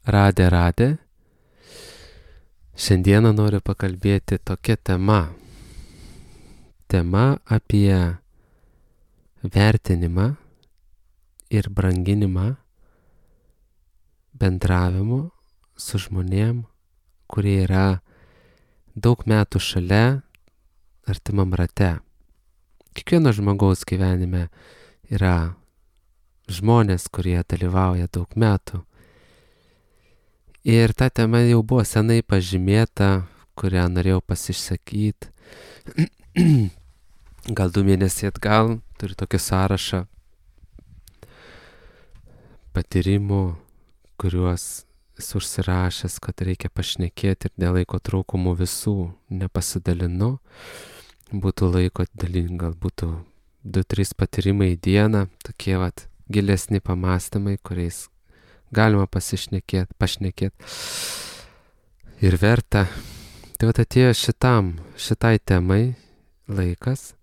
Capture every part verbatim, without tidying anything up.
Radė, radė. Šiandieną noriu pakalbėti tokia tema. Tema apie vertinimą ir branginimą bendravimo su žmonėm, kurie yra daug metų šalia, artimam rate. Kiekvieno žmogaus gyvenime yra žmonės, kurie dalyvauja daug metų. Ir ta tema jau buvo senai pažymėta, kurią norėjau pasišsakyti. Gal du mėnesiai atgal turiu tokį sąrašą patyrimų, kuriuos esu užsirašęs, kad reikia pašnekėti ir dėl laiko trūkumų visų nepasidalinu. Būtų laiko dalinti, gal būtų du trys patyrimai į dieną, tokie vat gilesni pamastymai, kuriais galima pasišnekėti, pašnekėti ir verta. Tai vat atėjo šitam, šitai temai laikas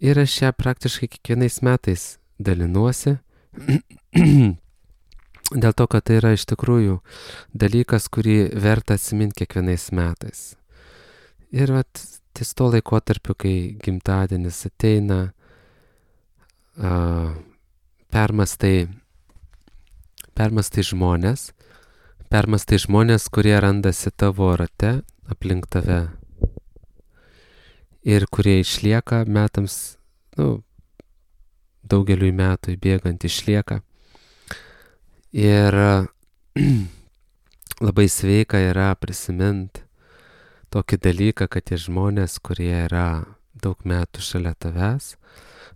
ir aš ją praktiškai kiekvienais metais dalinuosi. Dėl to, kad tai yra iš tikrųjų dalykas, kurį verta atsiminti kiekvienais metais. Ir vat ties to laikotarpiu, kai gimtadienis ateina, uh, permastai Permastai žmonės, permastai žmonės, kurie randasi tavo rate, aplink tave ir kurie išlieka metams, nu, daugeliui metų bėgant išlieka. Ir labai sveika yra prisiminti tokį dalyką, kad tie žmonės, kurie yra daug metų šalia tavęs,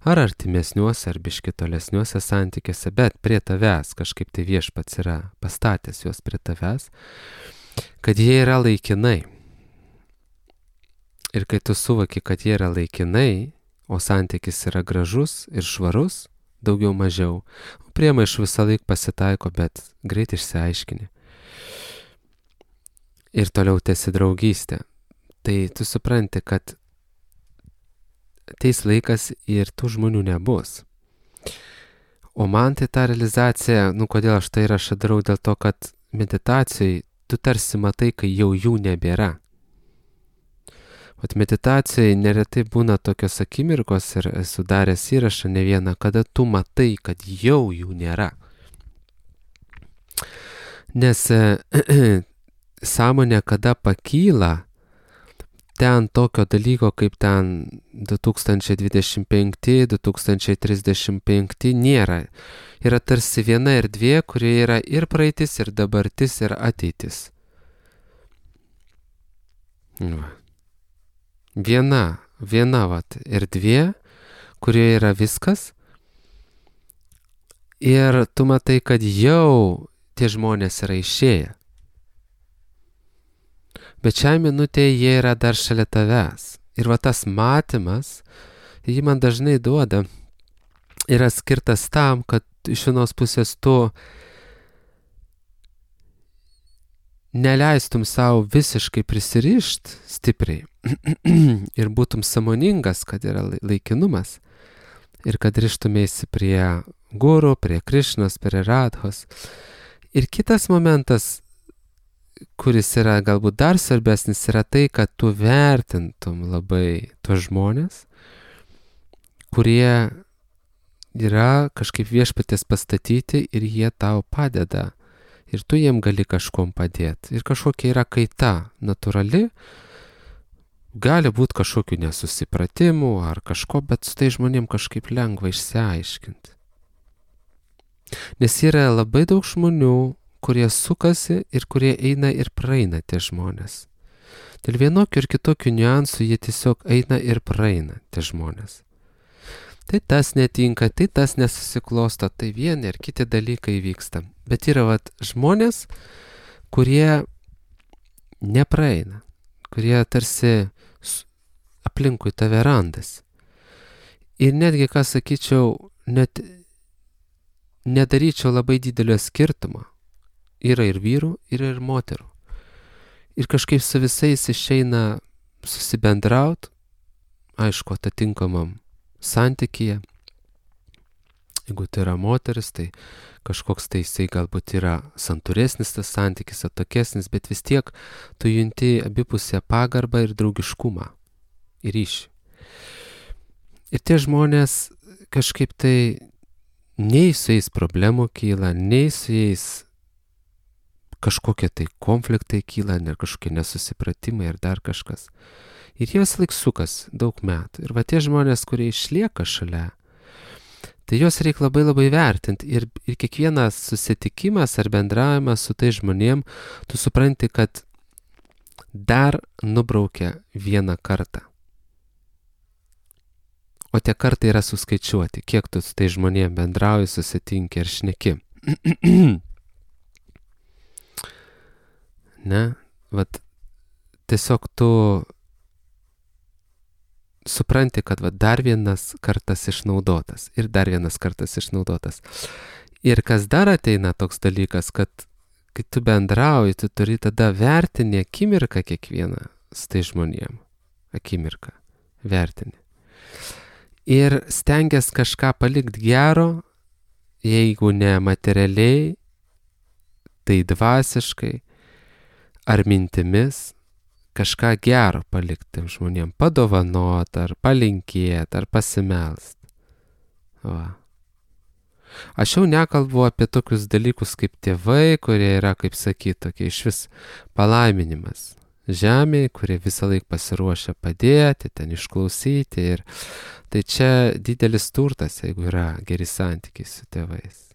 ar artimesniuose, ar biški tolesniuose santykiuose, bet prie tavęs kažkaip tai Viešpats yra pastatęs juos prie tavęs, kad jie yra laikinai. Ir kai tu suvoki, kad jie yra laikinai, o santykis yra gražus ir švarus, daugiau mažiau, priemaišų visą laik pasitaiko, bet greit išsiaiškini. Ir toliau tęsi draugystę. Tai tu supranti, kad ateis laikas ir tų žmonių nebus. O man tai ta realizacija, nu kodėl aš tai rašą darau, dėl to, kad meditacijai tu tarsi matai, kai jau jų nebėra. Vat meditacijai neretai būna tokios akimirkos ir esu daręs įrašą ne vieną, kada tu matai, kad jau jų nėra. Nes sąmonė, kada pakyla, ten tokio dalyko kaip ten du tūkstančiai dvidešimt penkti, du tūkstančiai trisdešimt penkti nėra. Yra tarsi viena erdvė, kuri yra ir praeitis, ir dabartis, ir ateitis. Viena, viena vat erdvė, kurioje yra viskas. Ir tu matai, kad jau tie žmonės yra išėję. Bet šią minutę jie yra dar šalia tavęs. Ir va tas matymas, jį man dažnai duoda, yra skirtas tam, kad iš vienos pusės tu neleistum savo visiškai prisirišt stipriai ir būtum sąmoningas, kad yra laikinumas ir kad rištumėsi prie guru, prie Krišnos, prie Radhos. Ir kitas momentas, kuris yra galbūt dar svarbesnis, yra tai, kad tu vertintum labai tuos žmonės, kurie yra kažkaip Viešpaties pastatyti ir jie tau padeda. Ir tu jiem gali kažkom padėti. Ir kažkokia yra kaita natūrali, gali būti kažkokių nesusipratimų ar kažko, bet su tai žmonėm kažkaip lengva išsiaiškinti. Nes yra labai daug žmonių, kurie sukasi ir kurie eina ir praeina tie žmonės. Dėl vienokių ir kitokių niuansų jie tiesiog eina ir praeina tie žmonės. Tai tas netinka, tai tas nesusiklosto, tai vieni ir kiti dalykai vyksta. Bet yra vat žmonės, kurie nepraeina, kurie tarsi aplinkui tave randasi. Ir netgi, ką sakyčiau, net nedaryčiau labai didelio skirtumo. Yra ir vyrų, yra ir moterų. Ir kažkaip su visais išeina susibendraut, aišku, atitinkamam santykyje. Jeigu tai yra moteris, tai kažkoks tai jisai galbūt yra santūresnis tas santykis, atokesnis, bet vis tiek tu junti abipusę pagarbą ir draugiškumą ir ryšį. Ir tie žmonės kažkaip tai nei su jais problemų kyla, nei su jais kažkokie tai konfliktai kyla, ne kažkokie nesusipratimai ir dar kažkas. Ir jie vis laik sukas daug metų. Ir va tie žmonės, kurie išlieka šalia, tai juos reikia labai labai vertinti. Ir, ir kiekvienas susitikimas ar bendravimas su tai žmonėm, tu supranti, kad dar nubraukia vieną kartą. O tie kartai yra suskaičiuoti, kiek tu su tai žmonėm bendrauji, susitinki ir šneki. Ne? Vat tiesiog tu supranti, kad va, dar vienas kartas išnaudotas ir dar vienas kartas išnaudotas. Ir kas dar ateina toks dalykas, kad kai tu bendrauji, tu turi tada vertinti akimirką kiekvieną su tai žmonėm. Akimirką vertini. Ir stengias kažką palikti gero, jeigu ne materialiai, tai dvasiškai ar mintimis, kažką gero palikti žmonėm, padovanot, ar palinkėt, ar pasimelst. Va. Aš jau nekalbu apie tokius dalykus kaip tėvai, kurie yra, kaip sakyti, tokie iš vis palaiminimas žemėje, kurie visą laiką pasiruošia padėti, ten išklausyti. Ir tai čia didelis turtas, jeigu yra geri santykiai su tėvais.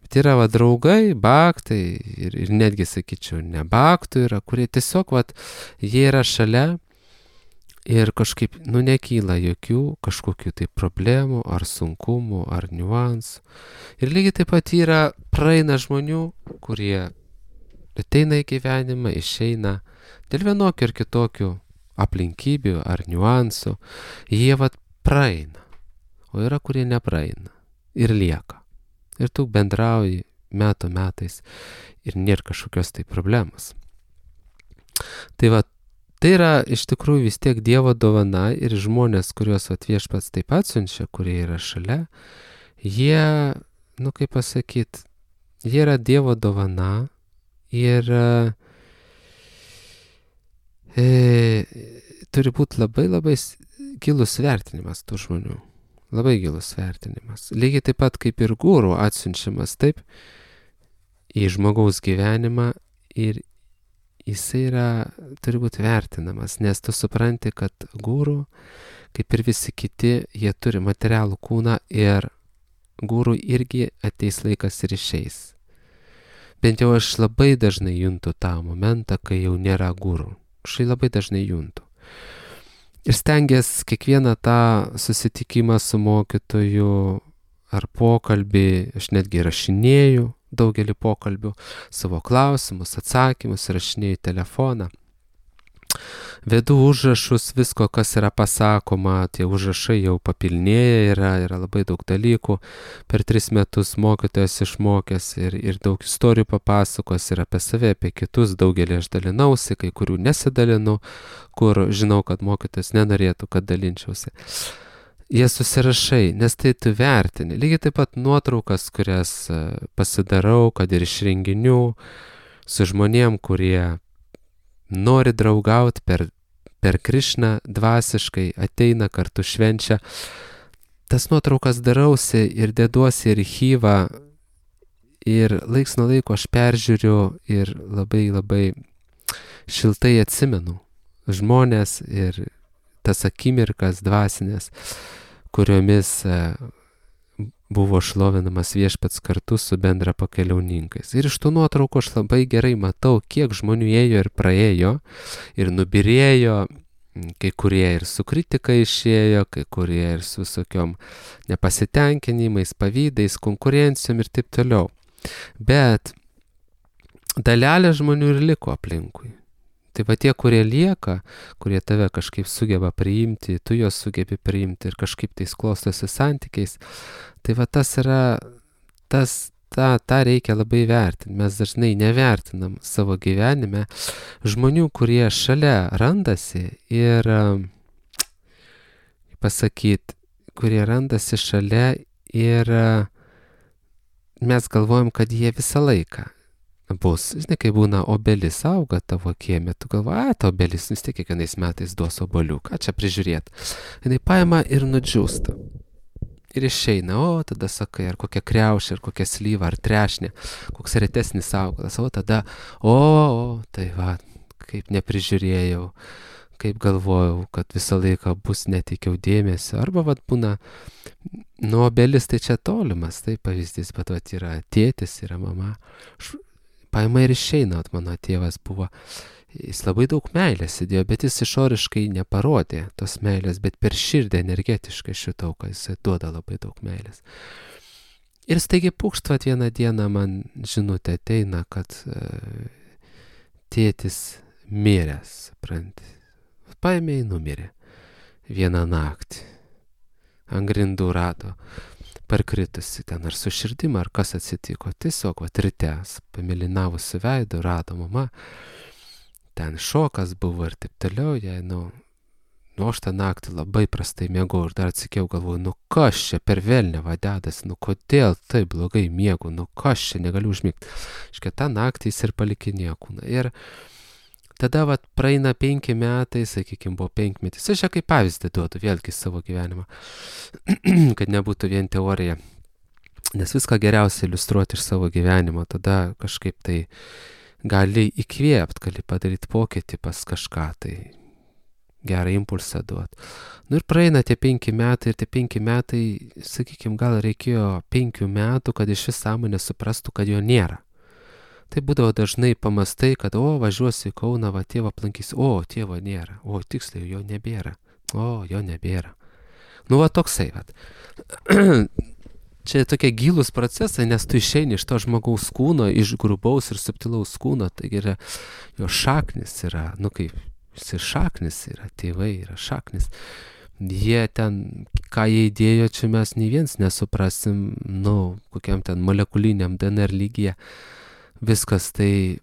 Bet yra va draugai, baktai ir, ir netgi, sakyčiau, ne baktų yra, kurie tiesiog, va, jie yra šalia ir kažkaip, nu, nekyla jokių kažkokių tai problemų, ar sunkumų, ar niuansų. Ir lygiai taip pat yra, praeina žmonių, kurie ateina į gyvenimą, išeina dėl vienokių ir kitokių aplinkybių ar niuansų. Jie, va, praeina, o yra, kurie nepraeina ir lieka. Ir tu bendrauji metų metais ir nėra kažkokios tai problemos. Tai va, tai yra iš tikrųjų vis tiek Dievo dovana ir žmonės, kuriuos Viešpats taip pat siunčia, kurie yra šalia, jie, nu kaip pasakyti, jie yra Dievo dovana ir e, turi būti labai labai gilus vertinimas tų žmonių. Labai gilus vertinimas. Lygiai taip pat kaip ir guru atsiunčiamas taip į žmogaus gyvenimą ir jisai yra, turi būti vertinamas, nes tu supranti, kad guru, kaip ir visi kiti, jie turi materialų kūną ir guru irgi ateis laikas ir išeis. Bent jau aš labai dažnai juntu tą momentą, kai jau nėra guru. Aš labai dažnai juntu. Ir stengiasi kiekvieną tą susitikimą su mokytoju ar pokalbį, aš netgi rašinėju daugelį pokalbių, savo klausimus, atsakymus, rašinėju telefoną. Vedu užrašus visko, kas yra pasakoma, tie užrašai jau papilnėja, yra, yra labai daug dalykų. Per tris metus mokytojas išmokęs ir, ir daug istorijų papasakos ir apie save, apie kitus, daugelį aš dalinausi, kai kurių nesidalinu, kur žinau, kad mokytojas nenorėtų, kad dalinčiausi. Jie susirašai, nes tai tu vertini. Lygiai taip pat nuotraukas, kurias pasidarau, kad ir iš renginių, su žmonėm, kurie nori draugauti per, per Krišną dvasiškai, ateina kartu švenčia. Tas nuotraukas darausi ir deduosi į archyvą ir laiks nuo laiko aš peržiūriu ir labai labai šiltai atsimenu žmonės ir tas akimirkas dvasinės, kuriomis buvo šlovinamas Viešpats kartu su bendra pakeliauninkais. Ir iš tų nuotraukų aš labai gerai matau, kiek žmonių ėjo ir praėjo, ir nubirėjo, kai kurie ir su kritika išėjo, kai kurie ir su visokiom nepasitenkinimais, pavydais, konkurencijom ir taip toliau. Bet dalelė žmonių ir liko aplinkui. Tai va tie, kurie lieka, kurie tave kažkaip sugeba priimti, tu juos sugebi priimti ir kažkaip tais klostosi santykiais, tai va tas yra, tas, tą, tą reikia labai vertinti. Mes dažnai nevertinam savo gyvenime žmonių, kurie šalia randasi ir, pasakyti, kurie randasi šalia Ir e, mes galvojam, kad jie visą laiką bus. Žinai, kai būna obelis auga tavo kieme, tu galvoji, a, ta obelis vis tiek kiekvienais metais duos obolių, ką čia prižiūrėt. Jinai paima ir nudžiūsta. Ir išeina, o tada sakai, ar kokia kriaušė, ar kokia slyva, ar trešnė, koks retesnis augalas, o tada, o, o, tai va, kaip neprižiūrėjau, kaip galvojau, kad visą laiką bus, neteikiau dėmesio, arba vat būna, nu, obelis tai čia tolimas, tai pavyzdys, bet vat yra tėtis, yra mama, paima ir išeina, vat mano tėvas buvo, jis labai daug meilės įdėjo, bet jis išoriškai neparodė tos meilės, bet per širdį energetiškai šitau, kad jis duoda labai daug meilės. Ir staigiai pūkštvat vieną dieną man žinutė ateina, kad e, tėtis miręs, supranti. Paėmė į numirė vieną naktį. Ant grindų rado parkritusi ten ar su širdim, ar kas atsitiko. Tiesiog vat rytes, pamilinavusi veidą, rado mama. Ten šokas buvo ir taip toliau, jai, nu, nu, aš tą naktį labai prastai miegau ir dar atsikėjau, galvoju, nu, kas čia per velnę vadedas, nu, kodėl taip blogai miegu, nu, kas čia negaliu užmigti. Iškia, tą naktį jis ir palikinėjo kūną. Ir tada, vat, praeina penki metai, sakykime, buvo penkmetis. Aš čia kaip pavyzdį duodu vėlgi savo gyvenimą, kad nebūtų vien teorija. Nes viską geriausia iliustruoti iš savo gyvenimo, tada kažkaip tai gali įkvėpt, gali padaryti pokytį pas kažką, tai gerą impulsą duot. Nu ir praeina tie penki metai ir tie penki metai, sakykime, gal reikėjo penkių metų, kad iš vis sąmonė suprastų, kad jo nėra. Tai būdavo dažnai pamastai, kad, o, važiuosiu į Kauną, va, tėvą aplankysiu, o, tėvo nėra, o, tiksliai, jo nebėra, o, jo nebėra. Nu, va, toksai, va. Čia tokie gilūs procesai, nes tu išeini iš to žmogaus kūno, iš grubaus ir subtilaus kūno, taigi yra, jo šaknis yra, nu kaip, jis ir šaknis yra, tėvai yra šaknis. Jie ten, ką jie įdėjo, čia mes nei viens nesuprasim, nu, kokiam ten molekuliniam D N R lygyje. Viskas tai,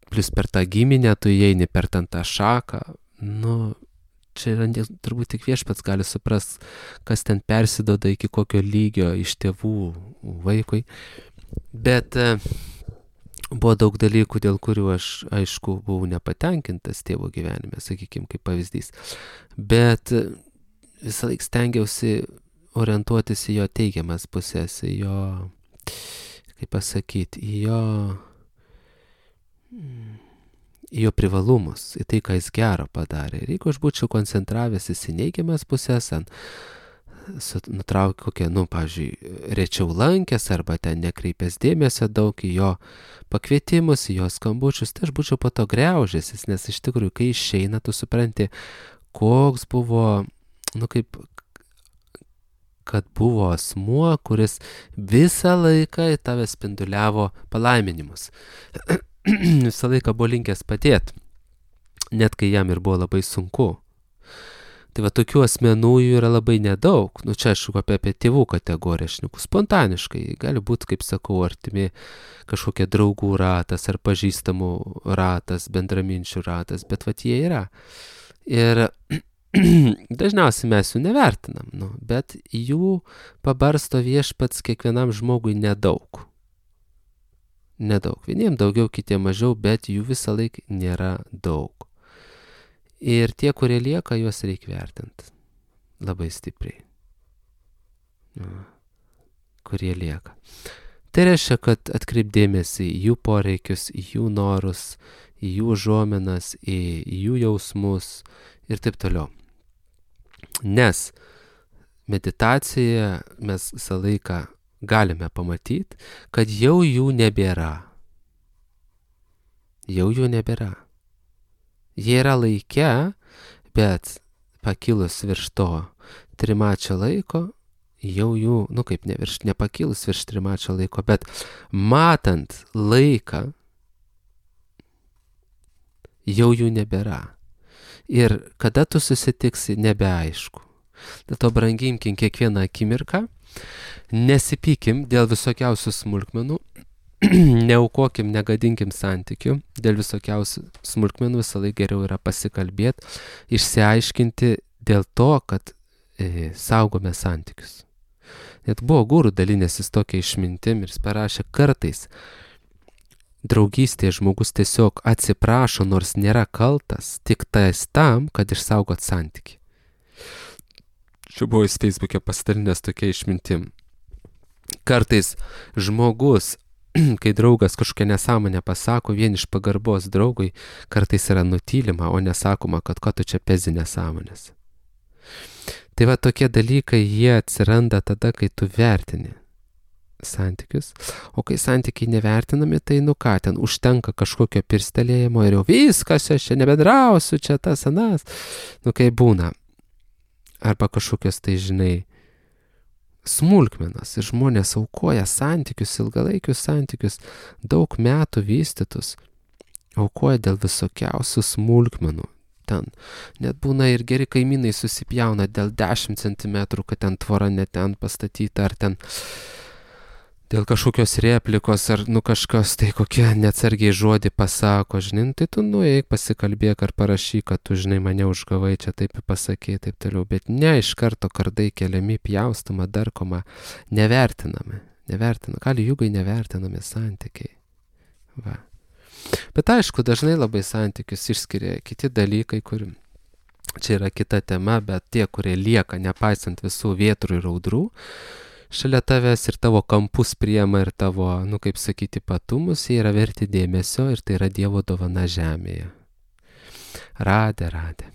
plus per tą giminę, tu įeini per ten tą šaką, nu, čia yra turbūt tik viešpats gali suprast, kas ten persidoda iki kokio lygio iš tėvų vaikui. Bet e, buvo daug dalykų, dėl kurių aš, aišku, buvau nepatenkintas tėvo gyvenime, sakykime, kaip pavyzdys. Bet e, visą laiką stengiausi orientuotis į jo teigiamas pusės, į jo, kaip pasakyti, į jo... į jo privalumus, į tai, ką jis gero padarė. Ir jeigu aš būčiau koncentravęsis į neigiamas pusės, ant nutraukti kokią, nu, pavyzdžiui, rečiau lankęs arba ten nekreipęs dėmesio daug į jo pakvietimus, į jo skambučius, tai aš būčiau po to griaužęsis, nes iš tikrųjų, kai išeina, tu supranti, koks buvo, nu, kaip, kad buvo asmuo, kuris visą laiką į tave spinduliavo palaiminimus. Visą laiką buvo linkęs padėti, net kai jam ir buvo labai sunku. Tai va, tokių asmenų jų yra labai nedaug. Nu, čia aš apie, apie tėvų kategoriją šneku. Spontaniškai, gali būti, kaip sakau, artimi kažkokie draugų ratas ar pažįstamų ratas, bendraminčių ratas, bet va, jie yra. Ir dažniausiai mes jų nevertinam, nu, bet jų pabarsto viešpats kiekvienam žmogui nedaug. Nedaug. Vieniem daugiau, kitiem mažiau, bet jų visą laiką nėra daug. Ir tie, kurie lieka, juos reikia vertinti. Labai stipriai. Kurie lieka. Tai reiškia, kad atkreipdėmėsi į jų poreikius, į jų norus, į jų užuominas, į jų jausmus ir taip toliau. Nes meditacijoje mes visą laiką galime pamatyti, kad jau jų nebėra. Jau jų nebėra. Jie yra laike, bet pakilus virš to trimačio laiko, jau jų, nu kaip ne virš, nepakilus virš trimačio laiko, bet matant laiką, jau jų nebėra. Ir kada tu susitiksi, nebeaišku. Dėl to branginkim kiekvieną akimirką, nesipykim dėl visokiausių smulkmenų, neaukokim, negadinkim santykių, dėl visokiausių smulkmenų visą laiką geriau yra pasikalbėti, išsiaiškinti dėl to, kad e, saugome santykius. Net buvo gurų dalinęsis tokia išmintim ir jis parašė, kartais draugystėje žmogus tiesiog atsiprašo, nors nėra kaltas, tik tais tam, kad išsaugot santykį. Čia buvo jis Facebook'e pasidalinęs tokia išmintim. Kartais žmogus, kai draugas kažkokią nesąmonę pasako, vien iš pagarbos draugui, kartais yra nutylima, o nesakoma, kad ko tu čia pezi nesąmonės. Tai va tokie dalykai, jie atsiranda tada, kai tu vertini santykius, o kai santykiai nevertinami, tai nu ką, ten užtenka kažkokio pirstelėjimo ir jau viskas, aš čia nebedrausiu, čia tas anas, nu kai būna. Arba kažkokios tai, žinai, smulkmenas ir žmonės aukoja santykius, ilgalaikius santykius, daug metų vystytus, aukoja dėl visokiausių smulkmenų. Ten net būna ir geri kaimynai susipjauna dėl dešimt centimetrų, kad ten tvora ne ten pastatyta, ar ten dėl kažkokios replikos, ar nu kažkas tai kokie neatsargiai žodį pasako, žinai, tai tu nueik, pasikalbėk ar parašyk, kad tu, žinai, mane užgavai, čia taip pasakė, taip toliau, bet ne iš karto kardai keliami, pjaustoma, darkoma, nevertinami, nevertinami, kali jūgai nevertinami santykiai. Va. Bet aišku, dažnai labai santykius išskiria kiti dalykai, kur čia yra kita tema, bet tie, kurie lieka, nepaisant visų vėtrų ir audrų, šalia tavęs ir tavo kampus priema ir tavo, nu kaip sakyti, patumus, jie yra verti dėmesio ir tai yra Dievo dovana žemėje. Radė, radė.